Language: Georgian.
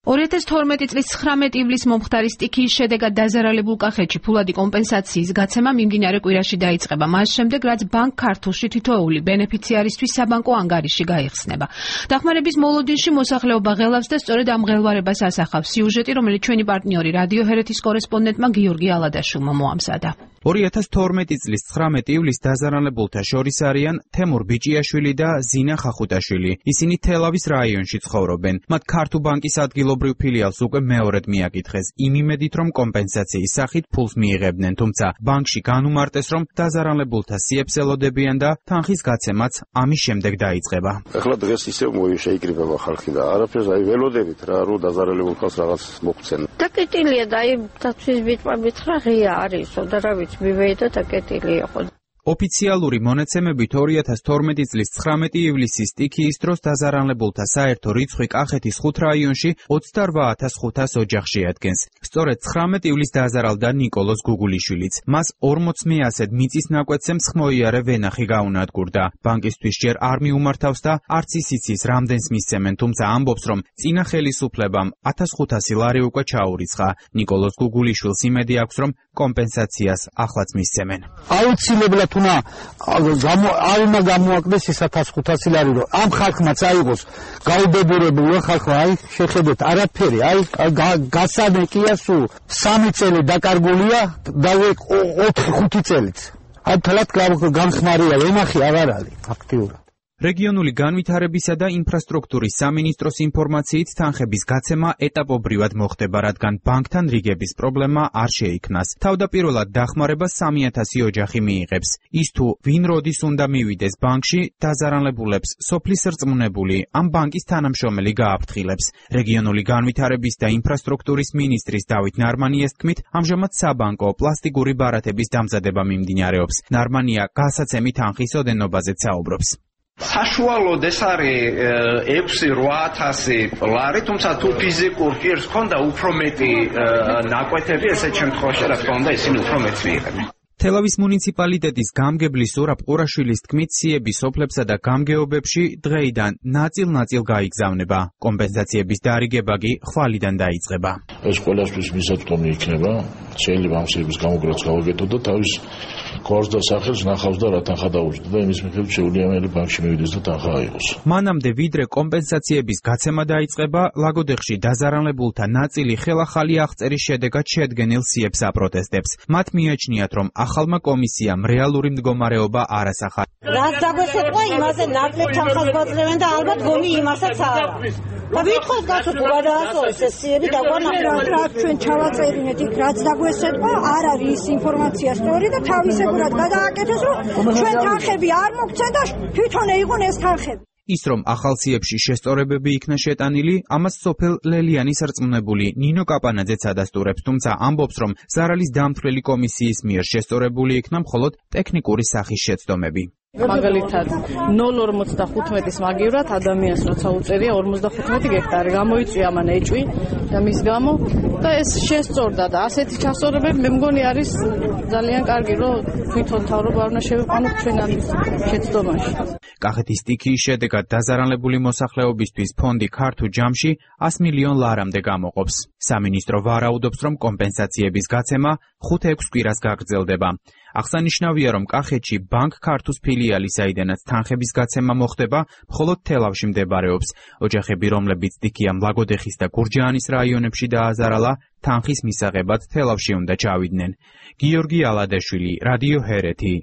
2012 წლის 19 ივლისს მომხდარი სტიქიის შედეგად დაზარალებულ კახეთში ფულადი კომპენსაციის გაცემა მიმდინარე კვირაში დაიწყება. მას შემდეგ, რაც ბანკ ქართულში თითოეული ბენეფიციარისთვის საბანკო ანგარიში გაიხსნება. დახმარების მოლოდინში მოსახლეობა ღელავს და სწორედ ამ ღელვარებას ასახავს სიუჟეტი, რომელიც ჩვენი პარტნიორი რადიო ჰერეთის კორესპონდენტმა გიორგი ალადაშვილმა მოამზადა. 2012 წლის 19 ივლისს დაზარალებულთა შორის არიან თემურ ბიჭიაშვილი და ზინა ხახუტაშვილი. ისინი თელავის რაიონში ცხოვრობენ. მათ ქართუ ბანკის ადგილობრივ ფილიალს უკვე მეორედ მიაკითხეს იმ იმედით, რომ კომპენსაციის სახით ფულს მიიღებდნენ, თუმცა ბანკში განუმარტეს, რომ დაზარალებულთა სიებს ელოდებიან და თანხის გაცემაც ამის შემდეგ დაიწყება. ახლა დღეს ისევ შეიკრიბება ხალხი და არაფერს ველოდებით რა, რომ დაზარალებულ ხალხს რაღაც მოგვცენ. დაკეტილია და აი დაცვის ბიტყვებით რა ღია არისო და რა ვიცი მივეიდა დაკეტილია ხო. ოფიციალური მონაცემებით 2012 წლის 19 ივლისის სტიქიის დროს დაზარალებულთა საერთო რიცხვი კახეთის 5 რაიონში 28500 ოჯახში ადგენს. სწორედ 19 ივლისს დაზარალდა ნიკოლოზ გუგულიშვილიც. მას 40 მეასედ მიწის ნაკვეთზე მსხმოიარე ვენახი გაუნადგურდა. ბანკისთვის ჯერ არ მიუმართავს და არც ისიც რამდენს მისცემენ, თუმცა ამბობს, რომ წინა ხელისუფლებამ 1500 ლარი უკვე ჩაურიცხა. ნიკოლოზ გუგულიშვილს იმედი აქვს, რომ კომპენსაციას ახლაც მისცემენ. აუცილებლად არ უნდა გამოაკდეს ის 1500 ლარი, რომ ამ ხალხმა წაიღოს გაუდებურებული ხალხმა, აი შეხედეთ არაფერი, აი გასანეკია სულ 3 წელი დაკარგულია და 4-5 წელიც. აი თლად განხმარია ვენახი აღარ არის აქტიურად. რეგიონული განვითარებისა და ინფრასტრუქტურის სამინისტროს ინფორმაციით თანხების გაცემა ეტაპობრივად მოხდება, რადგან ბანკთან რიგების პრობლემა არ შეიქმნას. თავდაპირველად დახმარებას 3000 ოჯახი მიიღებს. ის თუ ვინ როდის უნდა მივიდეს ბანკში, დაზარალებულებს სოფლის რწმუნებული ამ ბანკის თანამშრომელი გააფრთხილებს. რეგიონული განვითარების და ინფრასტრუქტურის მინისტრის დავით ნარმანიას თქმით, ამჟამად საბანკო პლასტიკური ბარათების დამზადება მიმდინარეობს. ნარმანია გასაცემი თანხის ოდენობაზეც საუბრობს. საშუალოდ ეს არის 6-8000 ლარი, თუმცა თუ ფიზიკურ პირს ქონდა უფრო მეტი ნაკვეთები, ესეთ შემთხვევაში რა თქმა უნდა ისინი უფრო მეტს მიიღებენ. თელავის მუნიციპალიტეტის გამგებლის ზურაბ ყურაშვილის თქმით, სიები სოფლებსა და გამგეობებში დღეიდან ნაწილ-ნაწილ გაიგზავნება. კომპენსაციების დარიგება კი ხვალიდან დაიწყება. ეს ყველასთვის მისაწვდომი იქნება, შეიძლება ამ სიების გამოგრაც გავაკეთო და თავის გვარს და სახელს ნახავს და რა თანხა დაუჭდა და იმის მიხედვით შეუძლია ბანკში მივიდეს და თანხა აიღოს. მანამდე ვიდრე კომპენსაციების გაცემა დაიწყება, ლაგოდეხში დაზარალებულთა ნაწილი ხელახალი აღწერის შედეგად შედგენილ სიებს აპროტესტებს. მათ მიაჩნიათ, რომ ახალმა კომისიამ რეალური მდგომარეობა არ ასახა. რაც დაგვესწრება იმაზე ნაკლებ თანხას გვაძლევენ და ალბათ გონი იმასაც არა. და ვითხოვთ გასულ გადაასწორეს ეს სიები დაგვანახოთ. რაც ჩვენ ჩავაწერინეთ იქ რაც დაგვესწრება არ არის ის ინფორმაცია სწორი და თავისებურად გადააკეთეს, რომ ჩვენ თანხები არ მოგცენ და თვითონ ეიღონ ეს თანხები. ის რომ ახალ სიებში შესწორებები იქნა შეტანილი, ამას სოფელ ლელიანის რწმუნებული ნინო კაპანაძეც ადასტურებს, თუმცა ამბობს, რომ ზარალის დამთვლელი კომისიის მიერ შესწორებული იქნა მხოლოდ ტექნიკური სახის შეცდომები. მაგალითად 0.45-ის მაგივრად ადამიანს როცა უწერია 55 გექტარი გამოიწვია ამან ეჭვი და მის გამო და ეს შესწორდა და ასეთი ჩასწორებები მე მგონი არის ძალიან კარგი, რომ თვითონ თავრობა არ უნდა შევიყვანოთ ჩვენ ამ შეცდომაში. კახეთის სტიქიის შედეგად დაზარალებული მოსახლეობისთვის ფონდი ქართულ ჯამში 100 მილიონ ლარამდე გამოყოფს. სამინისტრო ვარაუდობს, რომ კომპენსაციების გაცემა 5-6 კვირას გაგრძელდება. აღსანიშნავია, რომ კახეთში ბანკ ქართუს ფილიალი, საიდანაც თანხების გაცემა მოხდება, მხოლოდ თელავში მდებარეობს. ოჯახები, რომლებიც სტიქიამ ლაგოდეხის და გურჯაანის რაიონებში დააზარალა, თანხის მისაღებად თელავში უნდა ჩავიდნენ. გიორგი ალადაშვილი, რადიო ჰერეთი.